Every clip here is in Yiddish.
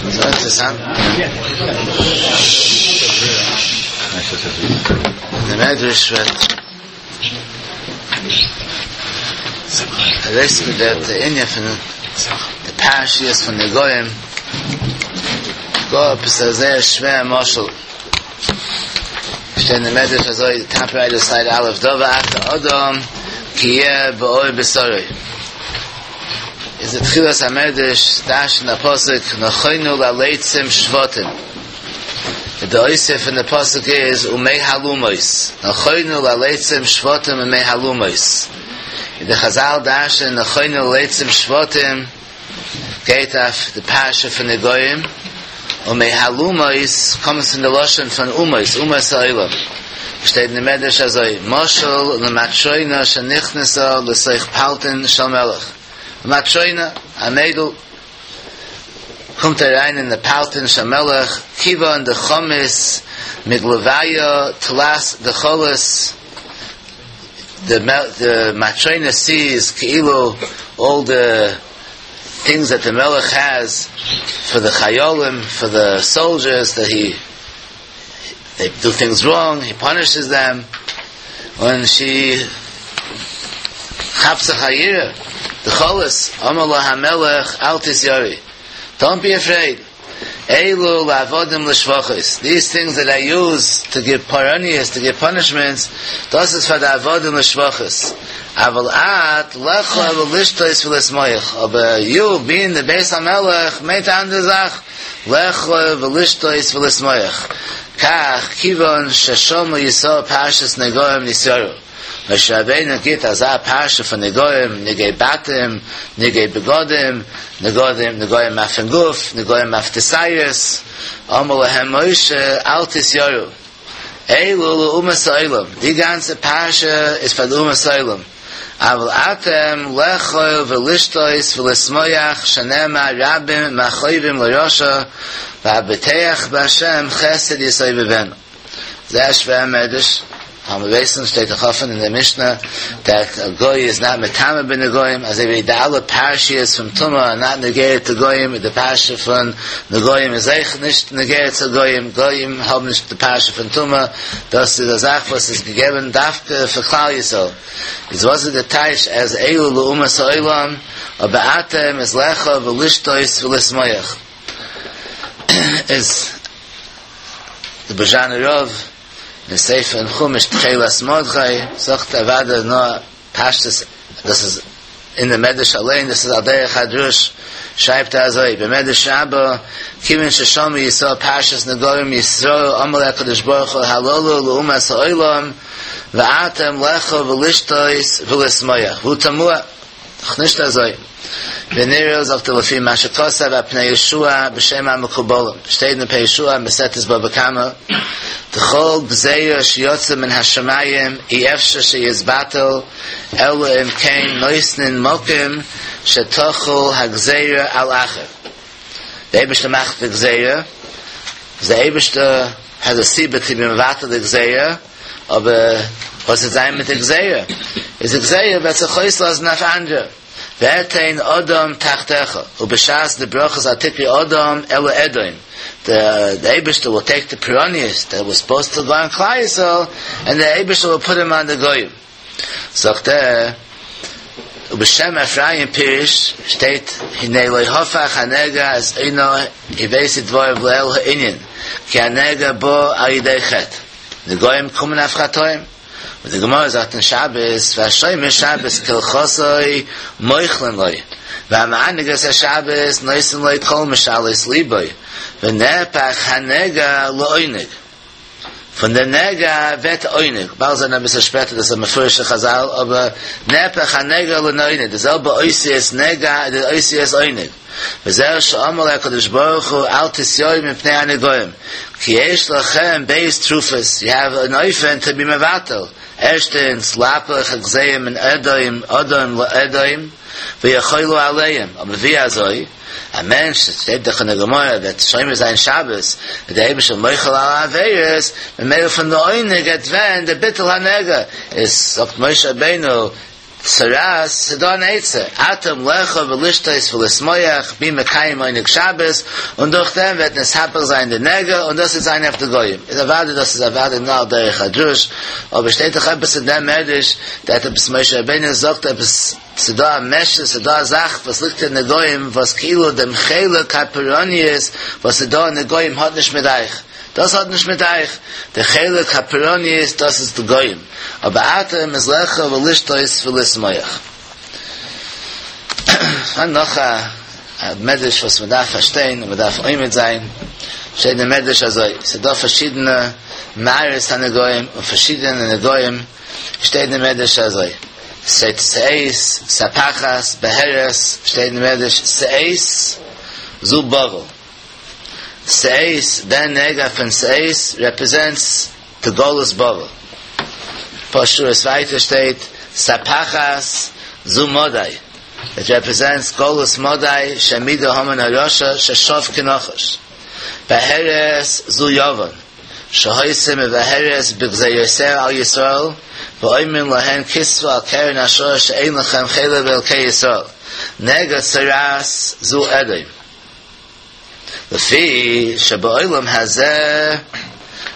זייער אינטערעסאנט. דער מדרש וועט ארויסגעבן די ענין פון די פרשיות פון נגעים, גאר עפעס א זייער שווער משל. שטייט אין די מדרש אזוי, די טאפ רייט סייד א', דבר אחר אדם כי יהיה בעור בשרו. איז די תחילת המדרש דרש'נט א פסוק נכונו ללצים שבטים. די אויספיר פון די פסוק איז ומהלומות, נכונו ללצים שבטים ומהלומות. און די חזל דרש'נען נכונו ללצים שבטים גייט אויף די פרשה פון נגעים, ומהלומות קומט פון די לשון פון אומות, אומות העולם. שטייט אין די מדרש אזוי, משל למטרונה שנכנסה לתוך פלטין של מלך. מטרונה, א מיידל, קומט אריין אין די פלטין של מלך, כיוון דחמית מגלויא תלת דכלות, די מטרונה sees כאילו all the things that the מלך has for the חיילים, for the soldiers that he they do things wrong, he punishes them, און she כאפט זיך א יראה, דכלות, אמר לה המלך אל תתיראי, don't be afraid, אלו לעבדים לשפחות, these things that I use to give פורעניות, to give punishments, דאס איז פאר די עבדים לשפחות, אבל את לאכול ולשתות ולשמוח, אבער you being the בית המלך מיינט א אנדערע זאך, לאכול ולשתות ולשמוח, כך כיוון ששמעו ישראל פרשת נגעים נתייראו, משה רבינו גיט אזא פרשה פון נגעים, נגעי בתים, נגעי בגדים, נגעים, נגעים אויפן גוף, נגעים אויף די שערות, אמר להם משה אל תתייראו, אלו לאומות העולם, די גאנצע פרשה איז פאר די אומות העולם, אבל אתם לאכול ולשתות ולשמוח שנאמר רבים מכאובים לרשע והבוטח בהשם חסד יסובבנו. זייער שווער מדרש, מיר ווייסן שטייט דאך אפן אין די משנה that a goy is not מטמא בנגעים, אזוי ווי די אלע פרשיות פון טומאה are not נוגע to גויים, די פרשה פון נגעים איז אויך נישט נוגע צו גויים, גויים האבן נישט די פרשה פון טומאה, דאס איז א זאך וואס איז געגעבן דווקא פאר כלל ישראל. איז וואס איז די טייטש אז אלו לאומות העולם, אבער אתם איז לאכול ולשתות ולשמוח. איז די בערזשאנער רב אין ספר אין חומש תכלת מרדכי זאגט אוודאי נאר פשטות דאס איז אין די מדרש אליין דאס איז על דרך הדרוש שרייבט ער אזוי במדרש רבה כיוון ששמעו ישראל פרשת נגעים נתייראו אמר הקדוש ברוך הוא הללו לאומת העולם ואתם לאכול ולשתות ולשמוח והוא תמוה דאך נישט אזוי. ונראה זאגט ער לפי מה שכתב הפני יהושע בשם המקובלים, שטייט אין פני יהושע מסכת בבא קמא, דכל גזירה שיוצא מן השמים אי אפשר שיתבטל אלא אם כן נותנין מקום שתחול הגזירה על אחר. די אייבערשטער מאכט די גזירה, איז די אייבערשטער has a סיבה to be מבטל די גזירה, אבער וואס וועט זיין מיט די גזירה? איז די גזירה וועט זיך אויסלאזן אויף אנדערע. ואתן אדם תחתיך, ובשעת די ברכות אל תקרי אדם אלא אדום, די אייבערשטער וויל טעיק די פורעניות דעט וואס סופאוזד טו גאו אן כלל ישראל, ענד די אייבערשטער וויל פוט אים אן די גוים. זאגט ער, ובשם אפרים פירש, שטייט הנה לא הפך הנגע את עונו הבאתי דברים לאל הענין, כי הנגע בא על ידי חטא. נגעים קומען אויף חטאים, און די גמרא זאגט אין שבת, והשומר שבת כהלכתו מוחלין לו, והמענג את השבת נותנין לו כל משאלות ליבו, ונהפך הנגע לעונג. פון די נגע ווערט עונג, באלד זען אביסל שפעטער דאס איז א מפורש'ע חזל, אבער נהפך הנגע לעונג, די זעלבע אותיות נגע איז די אותיות עונג. וזהו שאמר לו הקדוש ברוך הוא אל תתיראו מפני הנגעים כי יש לכם ב' תרופות, יו העוו אן אופן טו בי מבטל, ערשטענס להפוך הגזירה מן אדום אדם לאדום ויחולו עליהם, אבער ווי אזוי? א מענטש, שטייט דאך אין די גמרא, וועט שומר זיין שבת, וועט דער אייבערשטער מוחל אלע עבירות, ממילא פון די עונג גייט ווערן די ביטול הנגע, איז זאגט משה רבינו. צרעת, ס'דא אן עצה, אתם לאכול ולשתות ולשמוח, בי מקיים עונג שבת, און דורך דעם וועט נתהפך זיין די נגע, און דאס וועט זיין אויף די גויים. איז אוודאי דאס איז אוודאי נאר על דרך הדרוש, אבער שטייט דאך עפעס אין דעם מדרש, דעט עפעס משה רבינו זאגט עפעס, ס'דא א משהו, ס'דא א זאך וואס ליגט אין די גויים, וואס כאילו דעם חלק הפורעניות וואס איז דא אין די גויים האט נישט מיט אייך, דאס האט נישט מיט אייך, די חלק הפורעניות דאס איז די גויים, אבער אתם איז לאכול ולשתות ולשמוח. פארהאן נאך א מדרש וואס מען דארף פארשטיין און מען דארף עומד זיין, שטייט אין מדרש אזוי, ס'איז דא פארשידענע מראות הנגעים און פארשידענע נגעים, שטייט אין מדרש אזוי, שטייט שאת, ספחת, בהרת, שטייט אין מדרש שאת זו בבל, שאת, דער נגע פון שאת רעפרעזענטס די גלות בבל. פאר שורות ווייטער שטייט ספחת זו מדי, איט רעפרעזענטס גלות מדי שהעמידה המן הרשע ששב כנחש. בהרת זו יוון שהיתה מבהרת בגזירותיה על ישראל ואומרים להן כתבו על קרן השור שאין לכם חלק באלקי ישראל. נגע צרעת זו אדום. לפי שבעולם הזה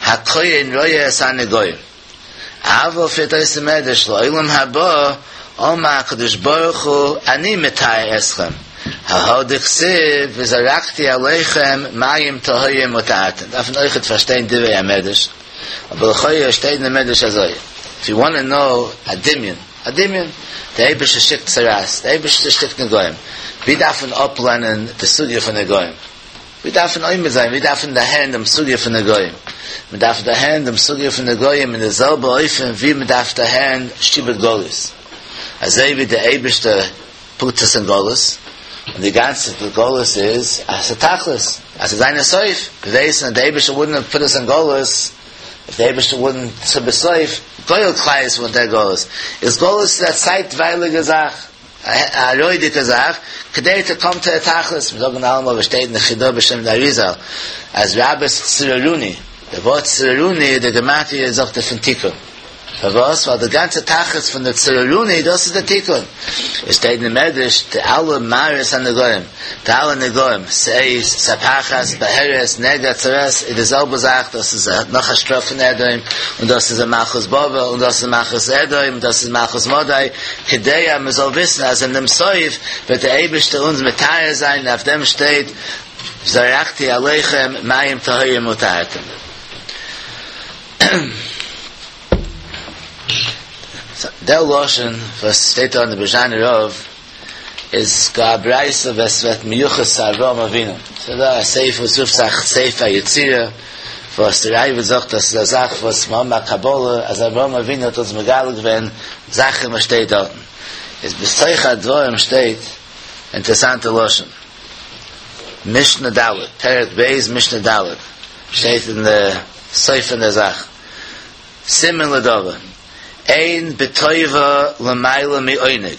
הכהן רואה את הנגעים, אבל פירט אויס די מדרש לעולם הבא אמר הקדוש ברוך הוא אני מטהר אתכם, ההא דכתיב וזרקתי עליכם מים טהורים וטהרתם, דארף מען אויכעט פארשטיין דברי המדרש, אבער לכאורה שטייט אין די מדרש אזוי, איף יו וואנט טו נאו א דמיון, א דמיון, דער אייבערשטער שיקט צרעת, דער אייבערשטער שיקט נגעים, ווי דארף מען אפלערנען די סוגיא פון נגעים? ווי דארף מען עומד זיין? ווי דארף מען דערהערן דעם סוגיא פון נגעים? מען דארף דערהערן דעם סוגיא פון נגעים אין די זעלבע אופן ווי מען דארף דערהערן שעבוד גליות, אזוי ווי דער אייבערשטער פוט אונז אין גלות, און די גאנצע גלות איז אז ס'איז תכלית, אז ס'זאל זיין א סוף, מיר ווייסן אז דער אייבערשטער וואלדנט פוט אונז אין גלות, איף די אייבערשטער וואלדנט צו בסוף גואל כלל ישראל פון דער גלות, איז גלות איז א צייטווייליגע זאך, א עראי'דיגע זאך, כדי טו קאם טו א תכלית, מיר זאגן אלעמאל וואס שטייט אין די חיד"א בשם די אריז"ל, אז רבות צררוני, די ווארט צררוני, די גמטריא זאגט ער פון תיקון. פארוואס? ווייל די גאנצע תכלית פון די צררוני דאס איז די תיקון. עס שטייט אין מדרש די אלע מראות הנגעים, די אלע נגעים, שאת, ספחת, בהרת, נגע, צרעת, איז די זעלבע זאך, דאס איז נאך א שטראף פון אדום, און דאס איז א מלכות בבל, און דאס איז מלכות אדום, און דאס איז מלכות מדי, כדי אז מען זאל וויסן אז אין דעם סוף וועט דער אייבערשטער אונז מטהר זיין, און אויף דעם שטייט זרקתי עליכם מים טהורים וטהרתם. דער לשון וואס שטייט דא אין די בערזשאנער רב איז גאר א ברייתא וואס ווערט מיוחס צו אברהם אבינו. ס'איז דא א ספר וואס רופט זיך ספר היצירה, וואס דער ראב"ד זאגט אז ס'איז א זאך וואס מיר האבן א קבלה אז אברהם אבינו האט אונז מגלה געווען זאכן וואס שטייט דארטן. איז בתוך הדברים שטייט אינטערעסאנטע לשון. משנה ד', פרק ב' משנה ד', שטייט אין די סוף פון דער זאך, סימן לדבר, אין בטובה למעלה מעונג,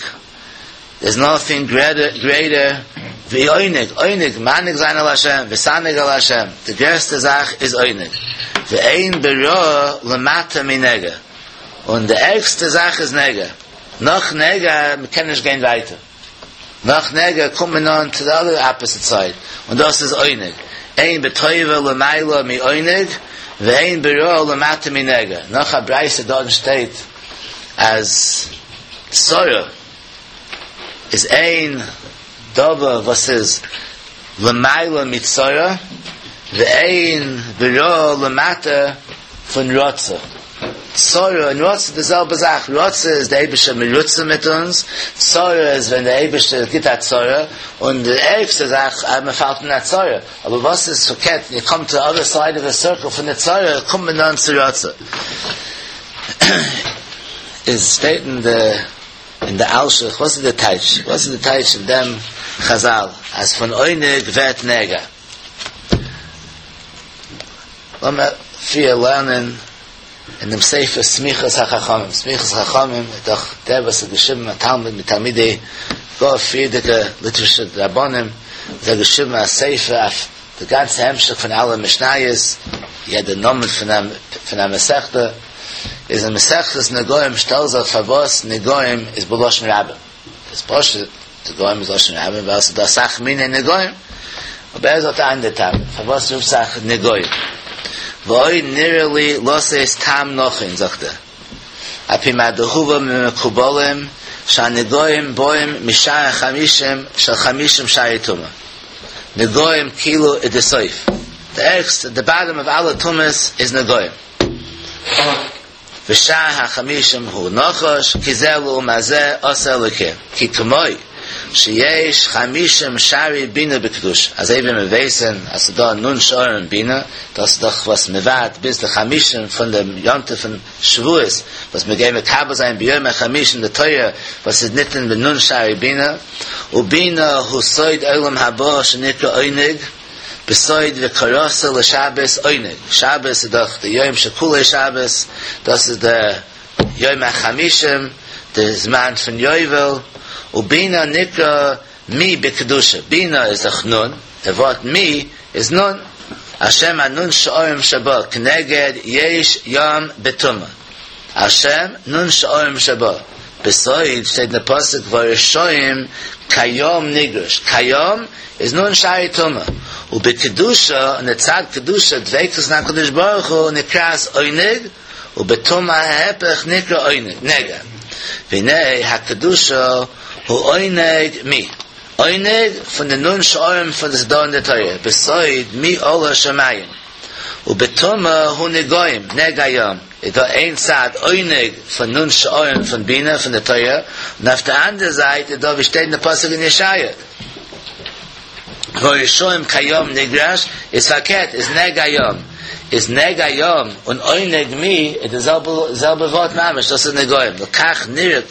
דער'ס נאטינג גרעיטער ווי עונג, עונג, מענג זיין על השם, להתענג על השם, די גרעסטע זאך איז עונג, ואין ברעה למטה מנגע, און די ערגסטע זאך איז נגע, נאך נגע, מ'קען נישט גיין ווייטער. נאך נגע קומט מען אן צו די אדער אפעסיט סייד, און דאס איז עונג, אין בטובה למעלה מעונג, ואין ברעה למטה מנגע. נאך א ברייתא דארטן שטייט אז צרה איז אין דבר וואס איז למעלה מצרה, ואין ברעה למטה פון רצה. צרה און רצה די זעלבע זאך, רצה איז די אייבערשטער מרוצה מיט אונז, צרה איז ווען די אייבערשטער גיט א צרה, און די ערגסטע זאך אז מען פאלט אין א צרה, אבער וואס איז פארקערט, יו קאם טו די אדער סייד אוו די סירקל פון די צרה קומט מען אן צו רצה. איז שטייט אין די אין די אלשיך, וואס איז די טייטש? וואס איז די טייטש אין דעם חזל אז פון עונג ווערט נגע? לאמיר פריער לערנען אין דעם ספר סמיכת החכמים, סמיכת החכמים איז דאך דער וואס האט געשריבן א תלמיד מתלמידי גאר פריערדיגע ליטווישע רבנים, האט ער געשריבן א ספר אויף די גאנצע המשך פון אלע משניות, יעדע נאמען פון א מסכתא. איז אין מסכת נגעים שטעלט זיך פארוואס נגעים איז בלשון רבים. איז פשוט נגעים איז לשון רבים ווייל ס'איז דא אסאך מיני נגעים. אבער ער זאגט א אנדער טעם פארוואס רופט זיך נגעים. ועוד נראה לי לתת טעם נכון זאגט ער. על פי מה דהובא ממקובלים שהנגעים באים משער החמישים של חמישים שערי טומאה. נגעים כאילו איז די סוף. די ערגסטע, די באטאם אוו אלע טומאות איז נגעים. ושער החמישים הוא נחש, כי זה לעומת זה עשה אלוקים, כי כמו שיש חמישים שערי בינה בקדושה, אזוי ווי מיר ווייסן אז ס'איז דא נ' שערים אין בינה, דאס איז דאך וואס מ'ווארט ביז די חמישים פון דעם יום טוב פון שבועות, וואס מיר גייען מקבל זיין ביום החמישים די תורה וואס איז ניתן בנ' שערי בינה, ובינה הוא סוד עולם הבא שנקרא עונג, בסוד וקראת לשבת עונג, שבת איז דאך די יום שכולו שבת, דאס איז די יום החמישים, די זמן פון יובל, ובינה נקרא מי בקדושה, בינה איז דאך נ', די ווארט מי איז נ', על שם הנ' שערים שבה, כנגד יש ים בטומאה, על שם נ' שערים שבה, בסוד שטייט אין די פסוק והרשעים כים נגרש, כים איז נ' שערי טומאה, ובקדושה, און די צד קדושה דביקות אין הקדוש ברוך הוא נקראת עונג, ובטומאה ההיפך נקרא עונג, נגע. והנה הקדושה הוא עונג מי, עונג פון די נ' שערים פון וואס ס'דא אין די תורה, בסוד מי עלה שמים, ובטומאה הוא נגעים, נגע ים, איז דא איין צד עונג פון נ' שערים פון בינה פון די תורה, און אויף די אנדערע זייט איז דא ווי שטייט אין די פסוק אין ישעיה, והרשעים כים נגרש, איז פארקערט איז נגע ים, איז נגע ים און עונג מי איז די זעלבע זעלבע ווארט ממש, דאס איז נגעים, לכך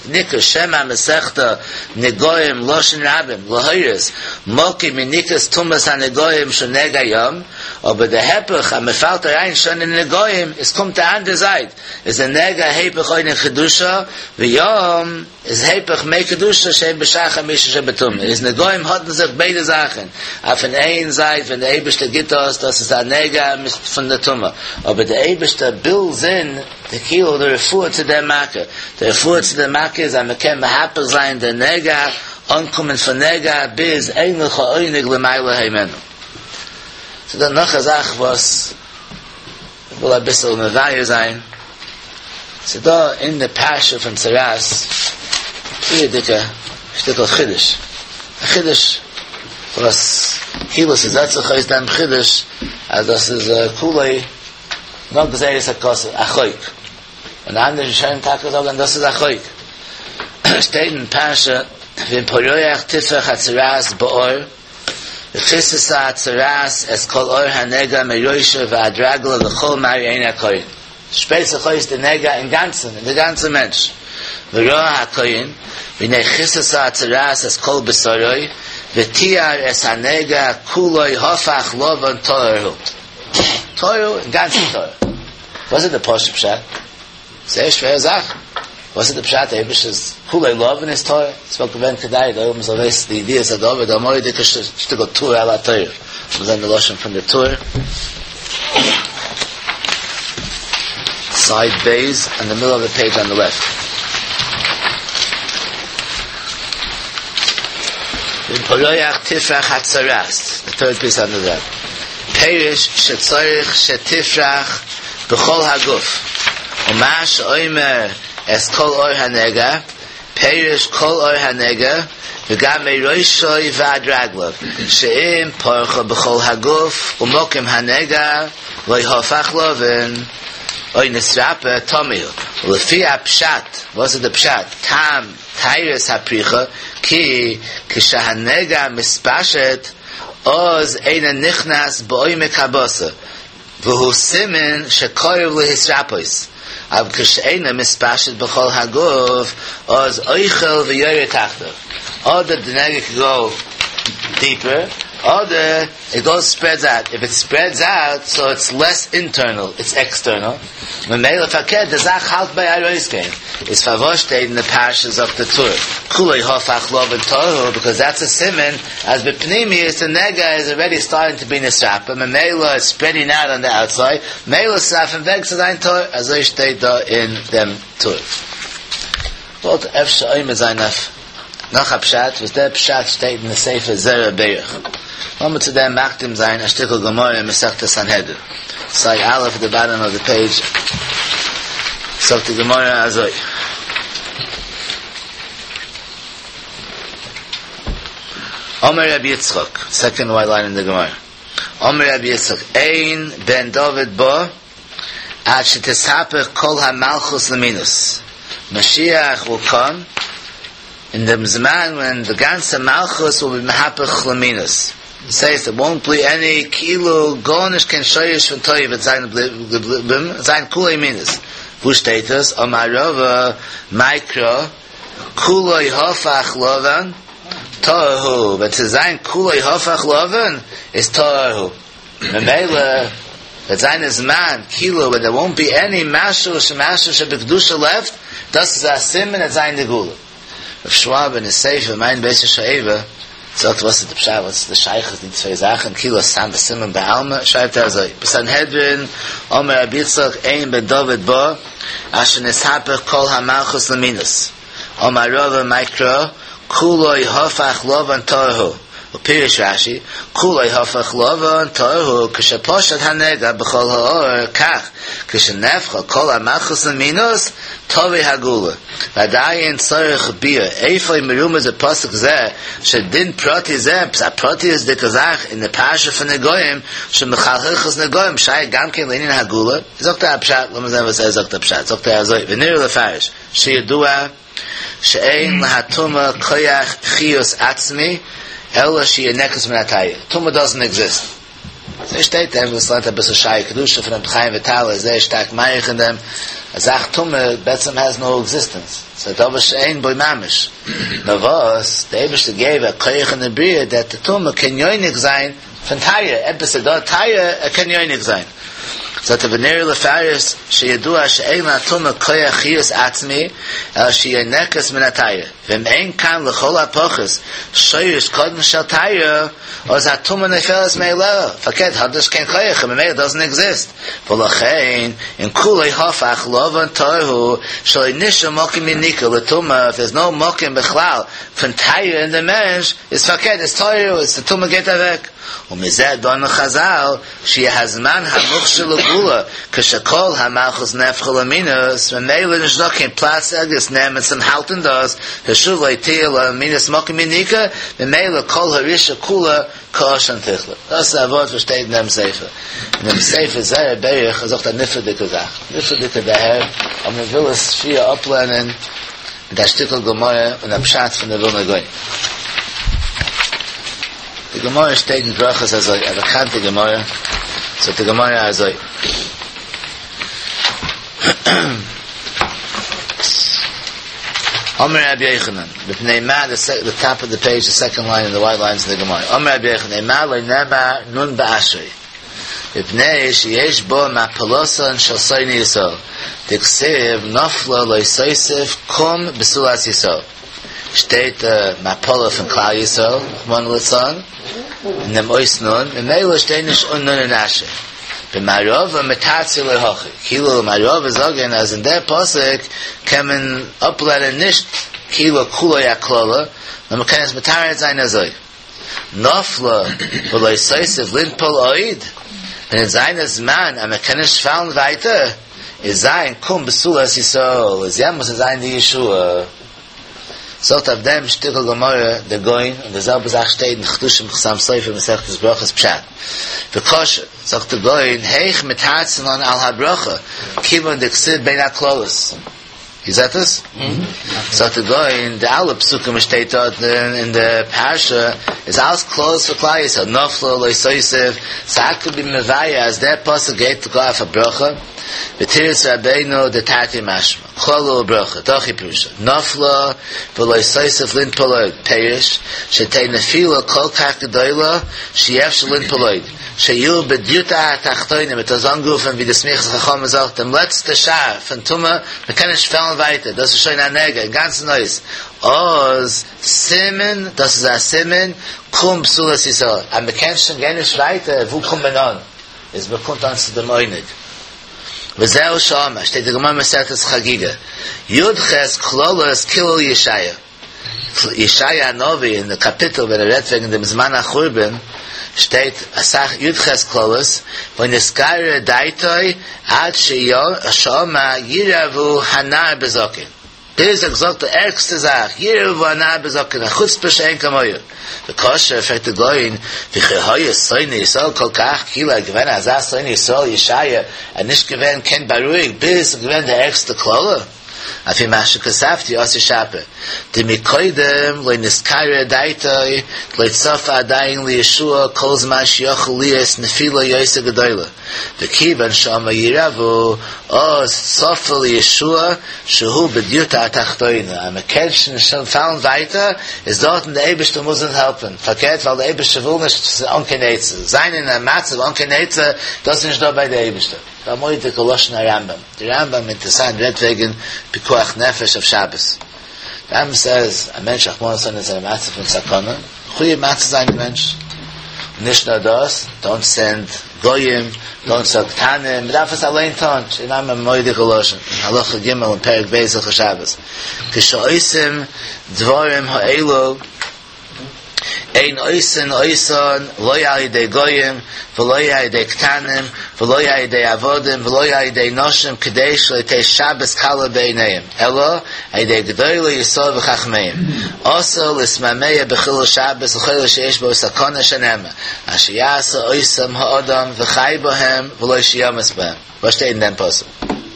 נקרא שם המסכתא נגעים לשון רבים להורות מקום יניקת טומאת הנגעים שהוא נגע ים, אבער די היפך אז מען פאלט אריין שוין אין נגעים, עס קומט די אנדערע זייט, איז די נגע היפך עונג קדושה, וים איז היפך מי קדושה שהם בשער חמישים שבטומאה, איז נגעים האט אין זיך ביידע זאכן, אויף פון איין זייט ווען די אייבערשטער גיט דאס, דאס איז א נגע פון די טומאה, אבער די אייבערשטער בילדס אין די כאילו די רפואה צו דער מכה, די רפואה צו דער מכה איז אז מען קען מהפך זיין די נגע, אנקומען פון נגע ביז אין לך עונג למעלה הימנו. ס'איז דא נאך א זאך וואס איך וויל אביסל מבאר זיין, ס'איז דא אין די פרשה פון צרעת פריערדיגע שטיקל חידוש, א חידוש וואס כאילו ס'זעט זיך אויס דעם חידוש אז דאס איז כולו נאר גזירת הכתוב, א חוק, און אנדערע ראשונים טאקע זאגן דאס איז א חוק, שטייט אין פרשה ואם פורח תפרח הצרעת בעור וכסתה הצרעת את כל עור הנגע מראשו ועד רגליו וכל מראה עיני הכהן. שפרייט זיך אויס די נגע אינגאנצן אין די גאנצע מענטש. וראה הכהן והנה כסתה הצרעת את כל בשרו וטיהר את הנגע כולו הפך לבן טהור הוא. טהור הוא, אינגאנצן טהור. וואס איז די פשוט פשט? זייער שווערע זאך. וואס איז די פשט אייבישטער'ס כולו לבן איז טהור? עס וואלט געווען כדאי די עולם זאל וויסן די ידיעת הדבר, די מורא'דיגע שטיקל טור על התורה. לאמיר זען די לשון פון די טור. סייד ב' אין די מידל אוו די פעידזש אן די לעפט. ואם פורח תפרח הצרעת, די טוירד פיס אן די לעפט. פירוש שצריך שתפרח בכל הגוף, ומה שאומר את כל עור הנגע, פירוש כל עור הנגע, וגם מראשו ועד רגליו, שאם פרחה בכל הגוף ומקום הנגע לא הפך לבן, או נתרפא טמא הוא. ולפי הפשט, וואס איז די פשט? טעם טהרת הפריחה, כי כשהנגע מתפשט, אז אינו נכנס בעומק הבשר, והוא סימן שקרוב להתרפאות, אבל כשאינו מתפשט בכל הגוף, אז אוכל ויורד תחתיו. אדער די נגע קען גאו דיפער, אדער איט גאוס ספרעדס אוט, איף איט ספרעדס אוט סאו איטס לעס אינטערנעל איטס עקסטערנעל, ממילא פארקערט די זאך האלט ביי ארויסגיין, איז פארוואס שטייט אין די פרשה זאגט די טור כולו הפך לבן טהור ביקאוז דעטס א סימן אז בפנימיות די נגע איז אלרעדי סטארטינג טו בי נתרפא ממילא איטס ספרעדינג אוט אן די אוטסייד ממילא ס'איז אויפן וועג צו זיין טהור אזוי שטייט דא אין דעם טור. וואלט אפשר עומד זיין אויף נאך א פשט, וואס דער פשט שטייט אין די ספר זרע ברך. לאמיר צו דעם מקדים זיין א שטיקל גמרא אין מסכת סנהדרין, סייד א' עט די באטאם אוו די פעידזש, זאגט די גמרא אזוי. אמר רבי יצחק, סעקאנד ווייט ליין אין די גמרא, אמר רבי יצחק, אין בן דוד בא עד שתתהפך כל המלכות למינות, משיח וויל קאם אין דעם זמן ווען די גאנצע מלכות וויל בי מהפך למינות, דאס הייסט דער וואונט בי עני כאילו גארנישט קיין שורש פון טוב וועט זיין געבליבן, זיין כולו מינות, וואו שטייט עס? אמר רבא מאי קרא כולו הפך לבן טהור הוא, ווען ס'וועט זיין כולו הפך לבן איז טהור הוא. ממילא וועט זיין א זמן כאילו ווען דער וואונט בי עני משהו שמשהו שבקדושה לעפט, דאס איז א סימן עט זיין די גאולה. רב שוואב אין ספר מעיין בית השואבה זאגט וואס איז די פשט וואס איז די שייכות די צוויי זאכן כאילו סתם א סימן בעלמא שרייבט ער אזוי בסנהדרין אמר רבי יצחק אין בן דוד בא עד שנתהפך כל המלכות למינות אמר רבא מאי קרא כולו הפך לבן טהור הוא, ופירש רש"י, כולו הפך לבן טהור הוא כשפשט הנגע בכל העור כך כשנהפכה כל המלכות למינות תבוא הגאולה ועדיין צריך ביאור איפה מרומז בפסוק זה שדין פרטי זה עפעס א פרטיות'דיגע זאך אין די פרשה פון נגעים שמחלחלת נגעים שייך גם כן לענין הגאולה זאגט ער א פשט לאמיר זען וואס ער זאגט א פשט זאגט ער אזוי ונראה לפרש שידוע שאין להטומאה כח חיות עצמי אלא שינקת מן הטהרה, טומאה דאזענט עקזיסט. אזוי שטייט דער וואס לערנט אביסל שערי קדושה פון רבי חיים וויטאל איז זייער שטארק מאריך אין דעם, א זאך טומאה בעצם העז נאו עקזיסטענס, ס'איז א דבר שאין בו ממש, נאר וואס דער אייבערשטער געב א כח אין די בריאה דעט די טומאה קען יונק זיין פון טהרה, עפעס איז דא טהרה ער קען יונק זיין. זאגט ער ונראה לפרש שידוע שאין לטומאה כח חיות עצמי אלא שיונקת מן הטהרה ואם אין כאן לכל הפחות שורש קטן של טהרה אז הטומאה נופלת מאליה פארקערט האט נישט קיין כח און ממילא דאזענט עקזיסט ולכן אין כולו הפך לבן טהור הוא שלא נשאר מקום יניקה לטומאה איף דערס נאו מקום בכלל פון טהרה אין די מענטש איז פארקערט איז טהור איז די טומאה גייט אוועק ומזה דנו חזל שיהיה הזמן המוכשר לגאולה כשכל המלכות נהפכה למינות, ממילא נישט דא קיין פלאץ ערגעץ נעמען צום האלטן דאס, ושוב לא תהיה למינות מקום יניקה, ממילא כל הרשעה כולה כעשן תכלה. דאס איז א ווארט וואס שטייט אין דעם ספר. אין דעם ספר זרע ברך זאגט א נפלא'דיגע זאך, נפלא'דיגע דערהער, אבער מען וויל עס שיער אפלערנען מיט א שטיקל גמרא און א פשט פון די ווילנא גאון. די גמרא שטייט אין ברכות אזוי, א באקאנטע גמרא, זאגט די גמרא אזוי, אמר רבי יוחנן, מפני מה, די טאפ אוו די פעידזש, די סעקאנד ליין אין די ווייט ליינס אין די גמרא, אמר רבי יוחנן, אימר לא נאמר נון באשרי, מפני שיש בו מפלתן של שונאי ישראל, דכתיב נפלה לא תוסיף קום בתולת ישראל. שטייט די מפלה פון כלל ישראל, רחמנא לצלן, אין דעם אות נון, ממילא שטייט נישט אן נון אין אשרי. במערבא מתרצי לה הכי, כאילו מערבא זאגען אז אין דער פסוק קען מען אפלערנען נישט כאילו כולו הקללה, נאר מען קען עס מתרץ זיין אזוי, נפלה ולא תוסיף לנפול עוד, ווען עס זיין א זמן אז מען קען נישט פאלן ווייטער, איז זיין קום בתולת ישראל, איז יעמאלס איז זיין די ישועה. זאגט אויף דעם שטיקל גמרא דער גאון, און די זעלבע זאך שטייט אין חידושים חתם סופר מסכת ברכות פשט. וקשה, זאגט דער גאון, היאך מתרצין לן על הברכה, כיוון דכתיב בין הקללות. איר זעט עס? זאגט דער גאון, די אלע פסוקים וואס שטייט דארט אין די פרשה איז אלעס קללות פאר כלל ישראל, נפלה לא תוסיף, סאו האו קוד בי מבאר אז דער פסוק גייט גאר אויף א ברכה. ותירץ רבינו דתרתי משמע, קללה וברכה, דהכי פירושא, נפלה ולא תוסיף לנפול עוד, פירוש, שתהא נפילה כל כך גדולה שאי אפשר לנפול עוד, שיהיו בדיוטא התחתונה, מ'האט דאס אנגערופן ווי די סמיכת חכמים זאגט, דעם לעצטע שער פון טומאה, מ'קען נישט פאלן ווייטער, דאס איז שוין א נגע, אינגאנצן אויס, אז סימן, דאס איז א סימן, קום בתולת ישראל, אז מ'קען שוין גיין נישט ווייטער, וואו קומט מען אן? איז מ'קומט אן צו דעם עונג. וזהו שאמר, שטייט די גמרא מסכת חגיגה, י"ח קללות קילל ישעיה. ישעיה הנביא אין די קאפיטל ווען ער רעדט וועגן דעם זמן החורבן, שטייט אסאך י"ח קללות, ונתגרה דעתו עד שאמר ירהבו הנער בזקן. ביז ער האט געזאגט די ערגסטע זאך, ירהבו הנער בזקן, א חוצפה שאין כמוה. וקשה, פרעגט די גאון, וכי היה שונא ישראל כל כך, כאילו ער איז געווען אזא שונא ישראל ישעיה, ער איז נישט געווען קען בארואיגט ביז עס איז געווען די ערגסטע קללה. לפי מה שכתבתי אתי שפיר, דמקודם לא נתקררה דעתו, דלא צפה עדיין לישועה כל זמן שיכול להיות נפילה יותר גדולה. וכיוון שאמר ירהבו, אז צפה לישועה שהוא בדיוטא התחתונה, אז מען קען שוין נישט פאלן ווייטער, איז דארטן די אייבערשטער מוז אונז העלפן, פארקערט ווייל די אייבערשטער וויל נישט ס'איז אן קיין עצה, זיין אין א מצב אן קיין עצה, דאס איז נישט דא ביי די אייבערשטער. א מורא'דיגע לשון הרמב"ם, די רמב"ם אינטערעסאנט רעדט וועגן פיקוח נפש אויף שבת, די רמב"ם סעז א מענטש רחמנא לצלן איז אין א מצב פון סכנה, מחויב מציל זיין די מענטש, און נישט נאר דאס, דאונט סענד גויים, דאונט סענד קטנים, מען דארף עס אליין טון, שטייט א מורא'דיגע לשון, אין הלכה ג' אין פרק ב' הלכות שבת, כשעושים דברים האלו, אין עושין אותן לא על ידי גויים ולא על ידי קטנים ולא על ידי עבדים ולא על ידי נשים כדי שלא תהא שבת קלה בעיניהם אלא על ידי גדולי ישראל וחכמיהם אסור להתמהמה בחילול שבת לכל שיש בו סכנה שנאמר אשר יעשה אותם האדם וחי בהם ולא שימות בהם וואס שטייט אין דעם פסוק?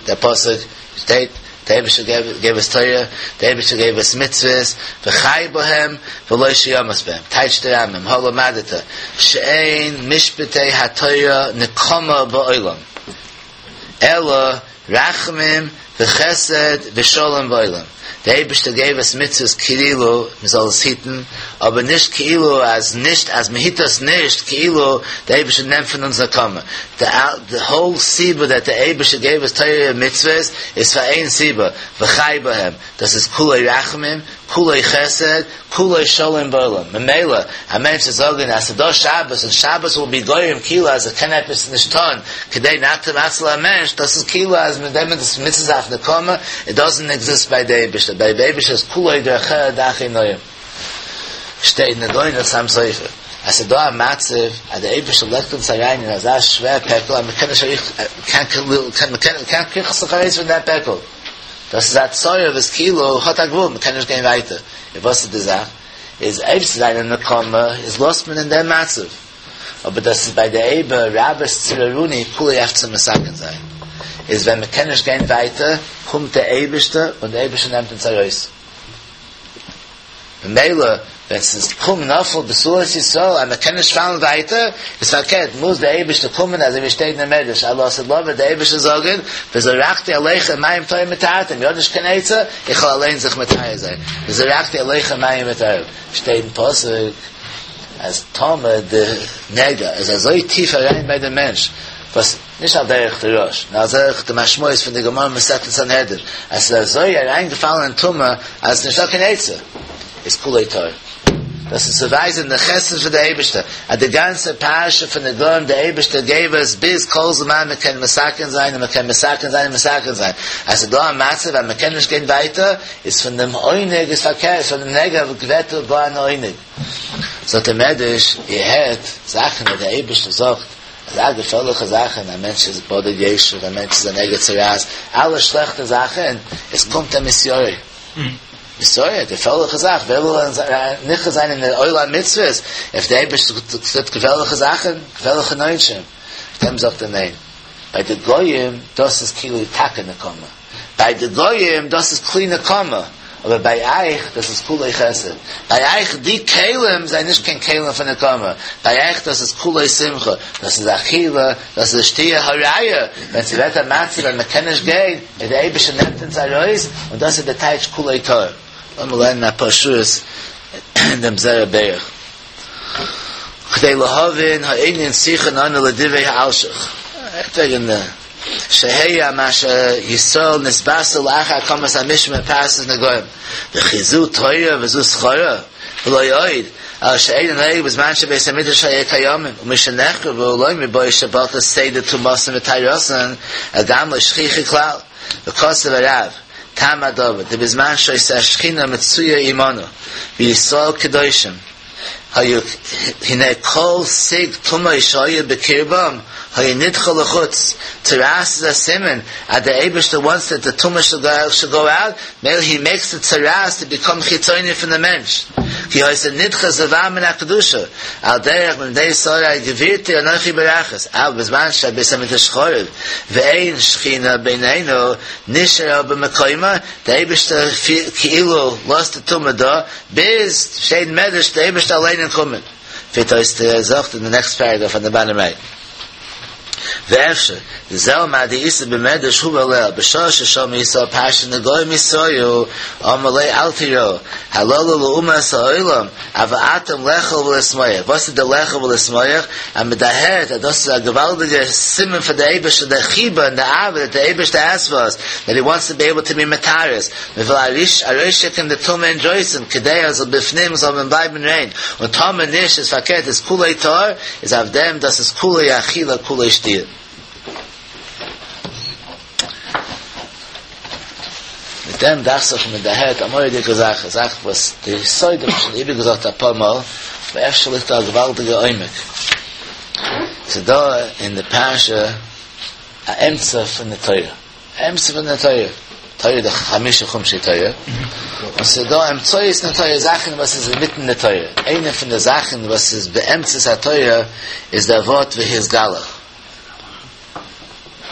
דער פסוק שטייט דער אייבערשטער געב אונז תורה, דער אייבערשטער געב אונז מצוות, וחי בהם ולא שימות בהם, טייטשט דער רמב"ם, הא למדת, שאין משפטי התורה נקמה בעולם, אלא רחמים וחסד ושלום בעולם, דער אייבערשטער געב אונז מצוות כאילו מען זאל עס היטן, אבער נישט כאילו אז נישט אז מען היט עס נישט כאילו דער אייבערשטער נעמט פון אונז נקמה, די האול סיבה דעט דער אייבערשטער געב אונז תורה און מצוות איז פאר איין סיבה, וחי בהם, דאס איז כולו רחמים, כולו חסד, כולו שלום בעולם, ממילא א מענטש זאל זאגן אז ס'דא שבת און שבת וויל בי גורם כאילו אז ער קען עפעס נישט טון כדי נאט צו מציל א מענטש, דאס איז כאילו אז מיט דעם איז מצוות אויף נקמה, איט דאזענט עקזיסט ביי די אייבערשטער, ביי די אייבערשטער איז כולו דרכיה דרכי נועם. שטייט אין די גאון חתם סופר אז ס'איז דא א מצב אז די אייבערשטער לייגט אונז אריין אין אזא שווער פעקל אז מ'קען נישט מ'קען קריכן זיך ארויס פון דעם פעקל, דאס איז א צרה וואס כאילו האט א גבול, מ'קען נישט גיין ווייטער, און וואס איז די זאך? איז אויב ס'איז א נקמה איז לאזט מען אין דעם מצב, אבער דאס איז ביי די אייבער רבת צררוני כולי אויף צו מתקן זיין, איז ווען מ'קען נישט גיין ווייטער קומט דער אייבערשטער און דער אייבערשטער נעמט אונז ארויס. ממילא ווען ס'איז קום נפל בתולת ישראל אז מ'קען נישט פאלן ווייטער, איז פארקערט מוז דער אייבערשטער קומען אזוי ווי שטייט אין מדרש אז לעתיד לבוא וועט דער אייבערשטער זאגן וזרקתי עליכם מים טהורים וטהרתם, איר האט נישט קיין עצה, איך וועל אליין זיך מטהר זיין, וזרקתי עליכם מים וטהרתם, שטייט אין פסוק אז טאמער די נגע איז אזוי טיף אריין ביי די מענטש וואס נישט על דרך די רא"ש, נאר על דרך די משמעות פון די גמרא מסכת סנהדרין, אז ס'איז אזוי אריינגעפאלן אין טומאה אז ס'איז נישטא קיין עצה, איז כולו טהור. דאס איז צו ווייזען די חסד פון די אייבערשטער, אז די גאנצע פרשה פון נגעים די אייבערשטער געב עס ביז כל זמן מען קען מתקן זיין און מען קען מתקן זיין און מתקן זיין, אז ס'איז דא א מצב אז מען קען נישט גיין ווייטער, איז פון דעם עונג איז פארקערט, פון דעם נגע ווערט גאר אן עונג. זאגט דער מדרש, איר הערט זאכן וואס דער אייבערשטער זאגט, אזא געפערליכע זאכן, א מענטש איז בדד ישב, א מענטש איז א נגע צרעת, אלע שלעכטע זאכן, עס קומט א מתיירא. מתיירא, געפערליכע זאך, ווער וויל נכנס זיין אין די עול המצוות, אויב דער אייבערשטער טוט געפערליכע זאכן, געפערליכע עונשים, אויף דעם זאגט ער ניין. ביי די גויים, דאס איז כאילו טאקע נקמה. ביי די גויים, דאס איז כלי נקמה. אבער ביי אייך דאס איז כולו חסד, ביי אייך די כלים זענען נישט קיין כלים פון נקמה, ביי אייך דאס איז כולו שמחה, דאס איז אכילה, דאס איז שתיה, הראיה, ווען ס'ווערט א מצב ווען מ'קען נישט גיין, איז דער אייבערשטער נעמט אונז ארויס, און דאס איז די טייטש כולו טהור. לאמיר לערנען אפאר שורות אין דעם זרע ברך. כדי להבין הענין צריכין אנו לדברי האלשיך. רעדט וועגן די שהיה מה שישראל נתבשרו לאחר הקמת המשמר בפרשת נגעים וכי זו תורה וזו שכרה ולא עוד אלא שאינו נוהג בזמן שבית המקדש היה קיימים ומשנחרבו לא מיבעי שבטל סדר טומאתן וטהרתן אלא גם לא שכיחא כלל וכתב הרב טעם הדבר דבזמן שהיתה השכינה מצויה עמנו וישראל קדושים היו הנה כל סיג טומאה שהיה בקרבם היה נדחה לחוץ, צרעת איז א סימן אז דער אייבערשטער וואנטס דעט די טומאה שוד גאו אוט, מילא הי מעיקס די צרעת טו ביקאם חיצוני פון די מענטש, כי היתה נדחה זבה מן הקדושה, על דרך מפני שרי גבירתי אנכי ברכת, אבל בזמן שבית המקדש חרב ואין שכינה בינינו נשארה במקומה, דער אייבערשטער כאילו לאזט די טומאה דא, ביז שטייט אין מדרש דער אייבערשטער אליין איז קומען פירט אויס די זאך אין די נעקסט פערעגראף אן די באטאם רייט ואפשר דזהו מה דאיתא במדרש הובא לעיל בשעה ששמעו ישראל פרשת נגעים התרעו אמר ליה אל תיראו הללו לאומות העולם אבל אתם לאכול ולשמוח וואס איז די לאכול ולשמוח אז מען דערהערט אז דאס איז א געוואלדיגע סימן פאר די אייבערשטער די חיבה און די אהבה דעט די אייבערשטער העז פאר אס דעט הי וואנטס טו בי עיבל טו בי מטהר אס מען וויל ארויסשיקן די טומאה אינדרויסן כדי אז בפנים זאל מען בלייבן ריין, און טאמער נישט איז פארקערט איז כולו טהור, איז אויף דעם דאס איז כולו אכילה כולו שתיה. מיט דעם דאכט זיך מען דערהערט א מורא'דיגע זאך, א זאך וואס די יסוד האב איך שוין איבערגעזאגט אפאר מאל, אבער אפשר ליגט דא א געוואלדיגע עומק. ס'איז דא אין די פרשה א אמצע פון די תורה. אמצע פון די תורה, תורה איז דאך חמשה חומשי תורה, און ס'איז דא אמצעיות אין די תורה, זאכן וואס איז אינמיטן די תורה, איינע פון די זאכן וואס איז באמצעות התורה איז דער ווארט והתגלח,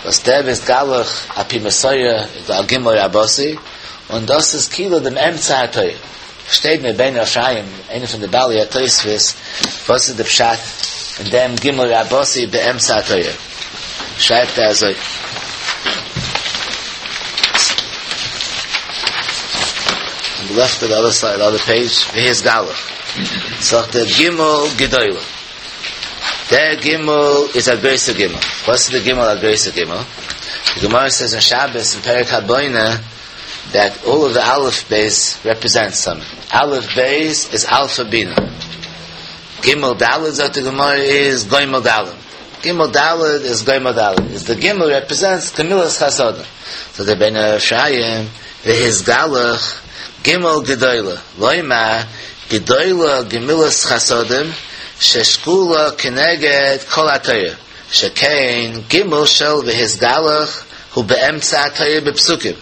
וואס דער והתגלח על פי מסורה איז דא א גימל רבתי, און דאס איז כאילו דעם אמצע התורה. שטייט אין רבינו אפרים, איינער פון די בעלי התוספות, וואס איז די פשט אין דעם גימל רבתי באמצע התורה? שרייבט ער אזוי. אן די לעפט אוו די אדער סייד, אדער פעידזש, והתגלח. זאגט ער גימל גדולה. דער גימל איז א גרויסע גימל. וואס איז די גימל א גרויסע גימל? די גמרא סעיז אין שבת אין פרק הבונה דעט אלל אוו די אלף בית רעפרעזענטס סאמטינג. אלף בית איז אלפא בינה. גימל דלת זאגט די גמרא איז גומל דלים. גימל דלת איז גומל דלים. איז די גימל רעפרעזענטס גמילות חסדים. זאגט דער רבינו אפרים והתגלח גימל גדולה לומר גדולה גמילות חסדים ששקולה כנגד כל התורה שכן גימל של והתגלח הוא באמצע התורה בפסוקים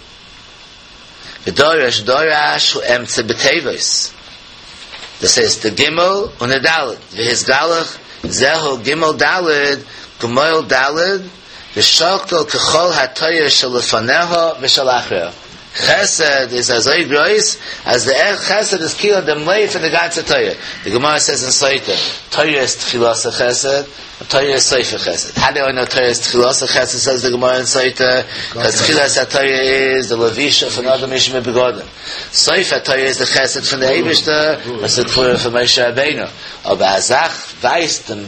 ודורש דרש הוא אמצע בתיבות דאס הייסט די גימל און די דלת והתגלח זהו גימל דלת גמול דלת ושקול ככל התורה שלפניה ושלאחריה. חסד איז אזוי גרויס אז די חסד איז כאילו דעם לב פון די גאנצע תורה. די גמרא סעיז אין סוטה, תורה איז תחילתה חסד, און תורה איז סופה חסד. האו דו איי נאו תורה איז תחילתה חסד סעיז די גמרא אין סוטה, קאז תחילת התורה איז די לבישה פון אדם הראשון בבגדים. סוף התורה איז די חסד פון די אייבערשטער וואס איז קבורה פון משה רבינו. אבער א זאך ווייזט דעם.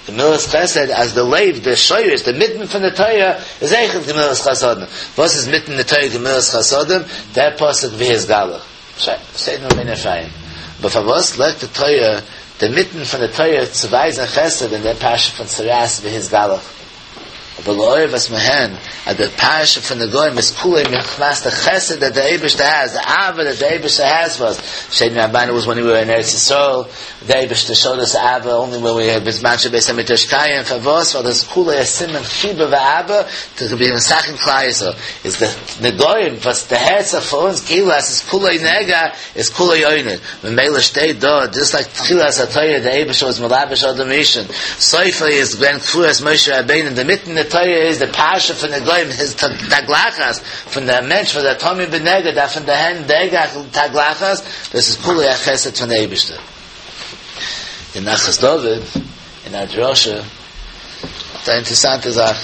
גמילות חסד אז די לב, די שורש, די מיטן פון די תורה איז אויכעט גמילות חסדים. וואס איז מיטן די תורה גמילות חסדים? דער פסוק והתגלח. שוין, שטייט אין רבינו אפרים. אבער פארוואס לייגט די תורה די מיטן פון די תורה צו ווייזן חסד אין דער פרשה פון צרעת והתגלח? אבער לאור וואס מיר הערן אז די פרשה פון נגעים איז כולו מחמת די חסד דעט די אייבערשטער העז, די אהבה דעט די אייבערשטער העז פאר אס, שטייט אין רמב"ן וואס ווען ווי ווער אין ארץ ישראל, די אייבערשטער שאוד אס אהבה אנלי ווען ווי בזמן שבית המקדש קיים, פארוואס? ווייל דאס איז כולו א סימן חיבה ואהבה טו בי מתקן כלל ישראל, איז די נגעים וואס דערהערט זיך פאר אונז כאילו אז ס'איז כולו נגע איז כולו עונג, ממילא שטייט דא דזשאסט לייק תחילת התורה די אייבערשטער וואס מלבש אדם הראשון, סופו איז געווען קבורת משה רבינו אינדערמיטן די. תורה איז די פרשה פון נגעים איז תגלחת פון דער מענטש וואס איז א טמא בנגע דארף פון די הענט נגע תגלחת, דאס איז כולו א חסד פון די אייבערשטער. די נחת דוד אין א דרשה האט א אינטערעסאנטע זאך,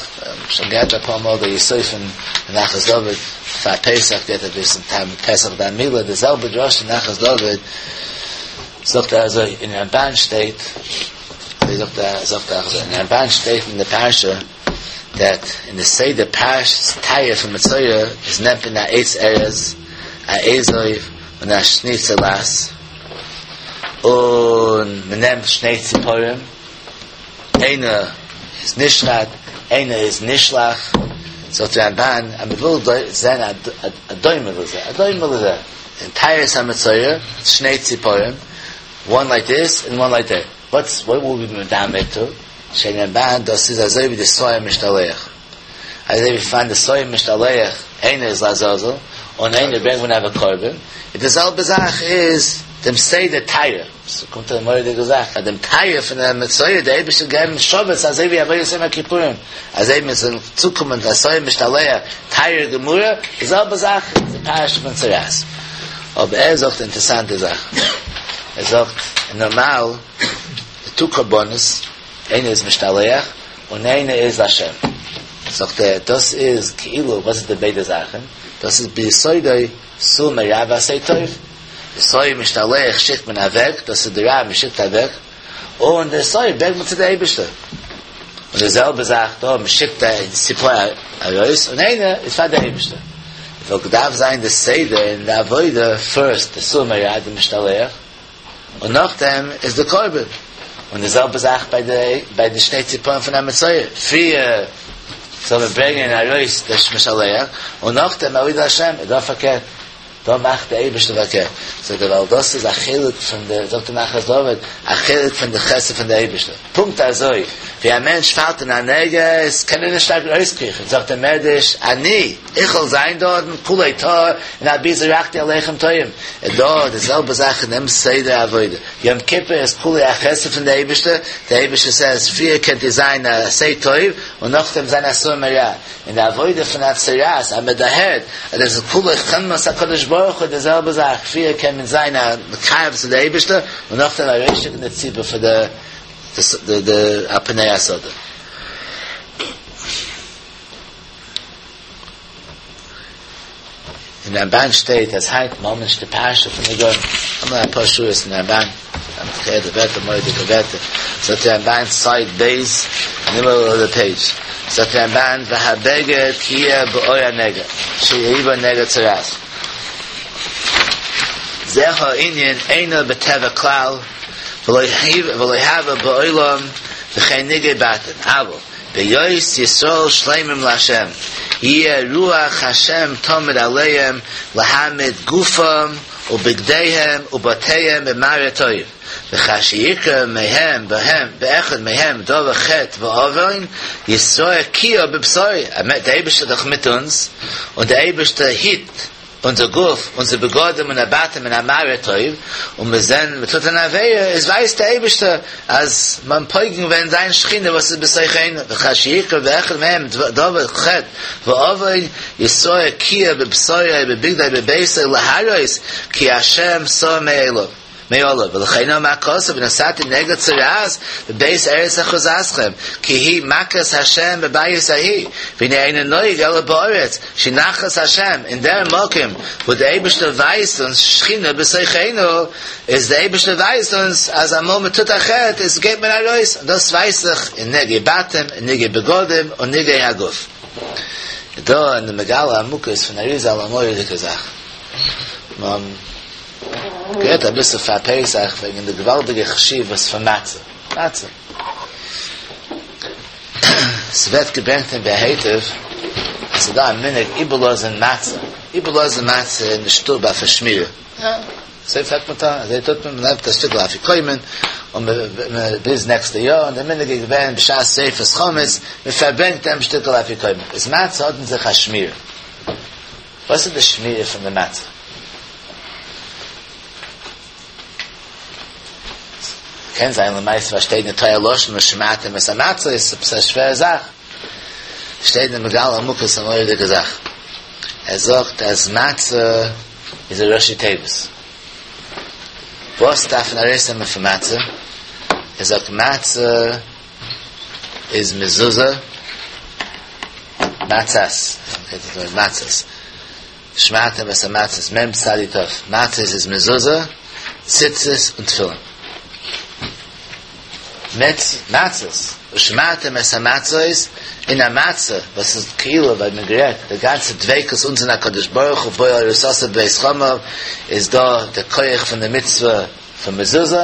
שוין געהערט אפאר מאל די יסוד פון נחת דוד פאר פסח געהערט אביסל טעם פסח דמילה די זעלבע דרשה נחת דוד זאגט ער אזוי אין רמבן שטייט אזוי זאגט ער זאגט ער אזוי אין רמבן שטייט אין די פרשה דעט אין די סדר פרשת טהרה פון מצורע איז נעמט מען א עץ ארז א אזוב און א שני צלעת און מען נעמט שני ציפורים איינע איז נשחט איינע איז נשלח זאגט די רמבן אז מען וויל זען א דומה לזה א דומה לזה אין טהרת המצורע שני ציפורים וואן לייק דיס און וואן לייק דעט וואטס וואט וויל בי מדמה טו זאגט רמבן דאס איז אזוי ווי די שעיר משתלח אזוי ווי פון די שעיר משתלח איינער איז לעזאזל און איינער ברענגט מען אויף א קרבן איז די זעלבע זאך איז דעם סדר טהרה ס'קומט א מורא'דיגע זאך אז דעם טהרה פון דעם מצורע דער אייבערשטער געבן שבת אזוי ווי עבודת יום הכיפורים אזוי מיר זאלן צוקומען צו א שעיר משתלח טהרה גמורה די זעלבע זאך איז די פרשה פון צרעת אבער ער זאגט אינטערעסאנטע זאך ער זאגט נארמאל די טו קרבנות איינער איז משתלח און איינער איז לשם. זאגט ער, דאס איז כאילו, וואס איז די ביידע זאכן? דאס איז ביסודו סור מרע ועשה טוב. די שעיר משתלח שיקט מען אוועק, דאס איז די רע מען שיקט אוועק, און די שעיר ברענגט מען צו די אייבערשטער. און די זעלבע זאך דא, מען שיקט די ציפור ארויס, און איינער איז פאר די אייבערשטער. וואלט געדארפט זיין די סדר אין די עבודה, פירסט די סור מרע, די משתלח, און נאכדעם איז די קרבן, און די זעלבע זאך ביי די ביי די שני ציפורים פון א מצורע, פריער זאל מען ברענגען ארויס די משלח, און נאכדעם עבודת השם, איז דא פארקערט, דא מאכט די אייבערשטער פארקערט, זאגט ער ווייל דאס איז א חלק פון די, זאגט די נחת דוד, א חלק פון די חסד פון די אייבערשטער, פונקט אזוי ווי א מענטש פאלט אין א נגע, איז קען ער נישט ארויסקריכן, זאגט דער מדרש, אני. איך וועל זיין דארטן כולו טהור און אבי זרקתי עליכם תועים. איז דא די זעלבע זאך אין דעם סדר עבודה. יום כיפור איז כולו א חסד פון די אייבערשטער, די אייבערשטער סעז פריער קענט איר זיין א עשה טוב און נאכדעם זיין א סור מרע. אין די עבודה פון א צרעת אז מען דערהערט אז דאס איז כולו חמלת הקדוש ברוך הוא די זעלבע זאך פריער קען מען זיין א מקרב צו די אייבערשטער און נאכדעם ארויסשיקן די ציבור פאר די די על פני השדה. אין רמבן שטייט אז היינט מ'האבן נישט די פרשה פון נגעים, האבן מיר אפאר שורות אין רמבן, כ'הער די ווערטער מורא'דיגע ווערטער, זאגט די רמבן סייד ב' אין די מידל אוו די פעידזש, זאגט די רמבן והבגד כי יהיה בעור הנגע, שיהא בו נגע צרעת. זה הענין אינו בטבע כלל, ולא הוה בעולם וכן נגעי בתים, אבל. בהיות ישראל שלמים לה', יהיה רוח השם תמיד עליהם להעמיד גופם ובגדיהם ובתיהם במראה טוב, וכאשר יקרה מהם בהם באחד מהם דבר חטא ועוון, יתראה כהה בבשרו, דער אייבערשטער איז דאך מיט אונז, און דער אייבערשטער היט אונזער גוף, אונזער בגדים און הבתים אין א מראה טוב, און מיר זעהן מען טוט אן עבירה, איז ווייסט דער אייבערשטער אז מ'האט פוגם געווען זיין שכינה וואס איז בתוכנו, וכאשר יקרה באחד מהם דבר חטא ועוון, יתראה כהה בבשרו בבגדו בביתו להראות כי השם סר מעליו. מעליו, ולכן אמר הכתוב ונתתי נגע צרעת בבית ארץ אחוזתכם, כי היא מכת השם בבית ההיא, והנה אינו נוהג אלא בארץ, שהיא נחלת השם, אין דער מקום וואו דער אייבערשטער ווייזט אונז שכינה בתוכנו, איז דער אייבערשטער ווייזט אונז אז אמאל מען טוט א חטא איז גייט מען ארויס, און דאס ווייזט זיך אין נגעי בתים, אין נגעי בגדים און נגעי הגוף. דא אין די מגלה עמוקות פון אריזל א מורא'דיגע זאך. גערעדט אביסל פאר פסח וועגן די געוואלדיגע חשיבות פון מצה, מצה. ס'ווערט געברענגט אין באר היטב אז ס'איז דא א מנהג איבערלאזן מצה, איבערלאזן מצה אין די שטוב אויף א שמירה. יא, אזוי פלעגט מען טון, אזוי טוט מען, מ'נעמט א שטיקל אפיקומן און ביז נעקסטע יאר, און די מנהג איז געווען בשעת שריפת חמץ, מ'פארברענגט דעם שטיקל אפיקומן. איז מצה האט אין זיך א שמירה. וואס איז די שמירה פון די מצה? קען זיין למעשה וואס שטייט אין תורה לשון ושמרתם את המצות, עפעס א שווערע זאך. שטייט אין מגלה עמוקות א מורא'דיגע זאך. ער זאגט אז מצה איז א ראשי תיבות. וואס דארף מען ארויסנעמען פון מצה? ער זאגט מצה איז מזוזה, מצות, מצות, ושמרתם את המצות, מ' צדי ת', מצות איז מזוזה, ציצית און תפילין. מצות, ושמרתם את המצות, אין א מצה וואס איז כאילו ווי מ'האט גערעדט די גאנצע דביקות אונז אין הקדוש ברוך הוא בועל ארוסתו בבית חמיו איז דא די כח פון די מצוה פון מזוזה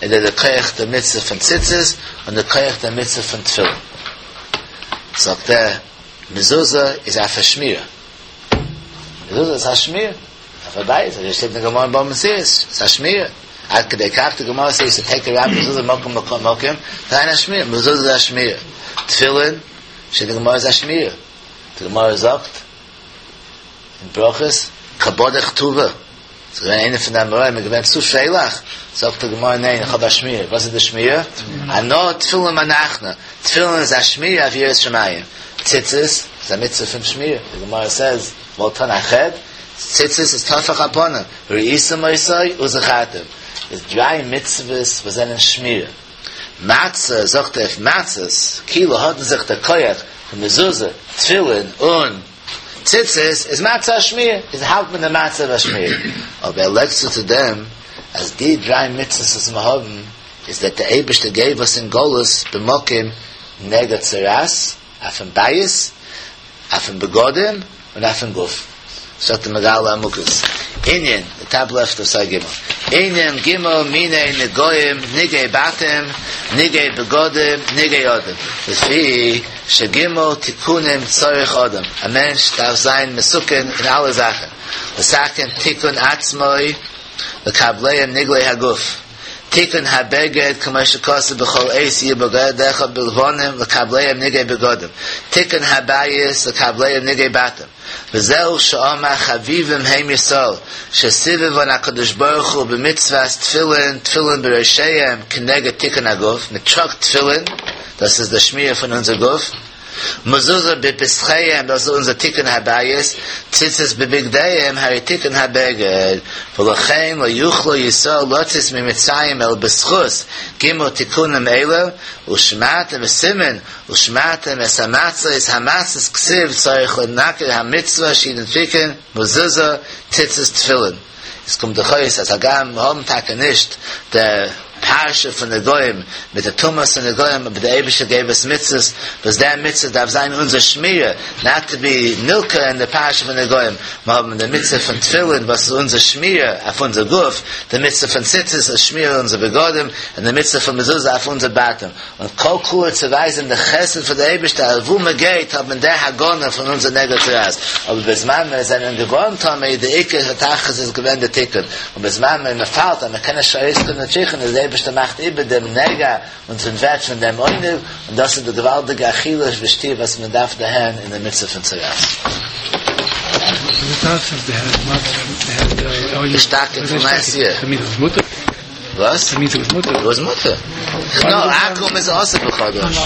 און די כח די מצוה פון ציצית און די כח די מצוה פון תפילין זאגט ער מזוזה איז אויף א שמירה מזוזה איז א שמירה אויף א בית אזוי שטייט אין גמרא אין בבא מציעא ס'איז א שמירה עד כדי כך די גמרא סעיס טו טעיק אראונד מזוזה ממקום למקום זיין א שמירה מזוזה איז א שמירה תפילין שטייט אין גמרא איז א שמירה די גמרא זאגט אין ברכות קא בדיך טובא ס'איז געווען איינער פון די אמוראים איז געווען צו פרייליך זאגט די גמרא ניין איך האב א שמירה וואס איז די שמירה אנא תפילין מנחנא תפילין איז א שמירה אויף יראת שמים ציצית איז א מצוה פון שמירה די גמרא סעז וואלט טון א חטא, ציצית איז טפח הפנים, וראיתם אותו וזכרתם, איז דריי מצוות וואס זענען שמירה. מצה, זאגט ער אויף מצות, כאילו האט אין זיך די כח פון מזוזה, תפילין און ציצית, איז מצה א שמירה, איז האלט מען די מצה אויף א שמירה. אבער ער לייגט צו צו דעם אז די דריי מצוות וואס מיר האבן איז דעט די אייבערשטער געב אונז אין גלות במקום נגע צרעת, אויפן בית, אויפן בגדים און אויפן גוף. זאגט די מגלה עמוקות, ענין, די טאפ לעפט אוו סייד ג', ענין ג' מיני נגעים, נגעי בתים, נגעי בגדים, נגעי אדם, לפי שג' תיקונים צריך אדם, א מענטש דארף זיין מתוקן אין אלע זאכן, לתקן תיקון עצמו לקבלם נגעי הגוף. תיקון הבגד כמו שכתוב בכל עת יהיו בגדיך לבנים לקבלם נגעי בגדים, תיקון הבית לקבלם נגעי בתים, וזהו שאמר חביבים הם ישראל שסיבבן הקדוש ברוך הוא במצוות תפילין תפילין בראשיהם כנגד תיקון הגוף, מען טראגט תפילין, דאס איז די שמירה פון אונזער גוף, מזוזה בפתחיהם, דאס איז אונזער תיקון הבית, ציצית בבגדיהם, הרי תיקון הבגד, ולכן לא יוכלו ישראל לצאת ממצרים אלא בזכות ג' תיקונים אלה, ושמרתם וסימן, ושמרתם את המצות, המצות כתיב צריך לנקד המצוה שהיא תיקון, מזוזה, ציצית תפילין. עס קומט דאך אויס אז הגם מיר האבן טאקע נישט די פרשה פון נגעים מיט די טומאת הנגעים אבער דער אייבערשטער געב אונז מצוות וואס דער מצוה דארף זיין אונזער שמירה נאט טו בי נלקה אין די פרשה פון נגעים, מיר האבן די מצוה פון תפילין וואס איז אונזער שמירה אויף אונזער גוף, די מצוה פון ציצית איז שמירה אויף אונזער בגדים, און די מצוה פון מזוזה אויף אונזער בתים. און כל כולו צו ווייזען די חסד פון די אייבערשטער אז וואו מען גייט האט מען דער הגנה פון אונזער נגע צרעת, אבער בזמן מיר זענען געווארן טמא די עיקר התכלית איז געווען די תיקון, און בזמן מען פאלט אז מען קען נישט ארויסקומען תיקון איז די אייבערשטער מאכט איבער דעם נגע און ס'ווערט פון דעם עונג, און דאס איז די געוואלדיגע אכילה ושתיה וואס מען דארף דערהערן אין די מצוה פון צרעת. שטארקער פון לעסט יער. וואס? וואס מותר? נאר עכו"ם איז אסור בחדש.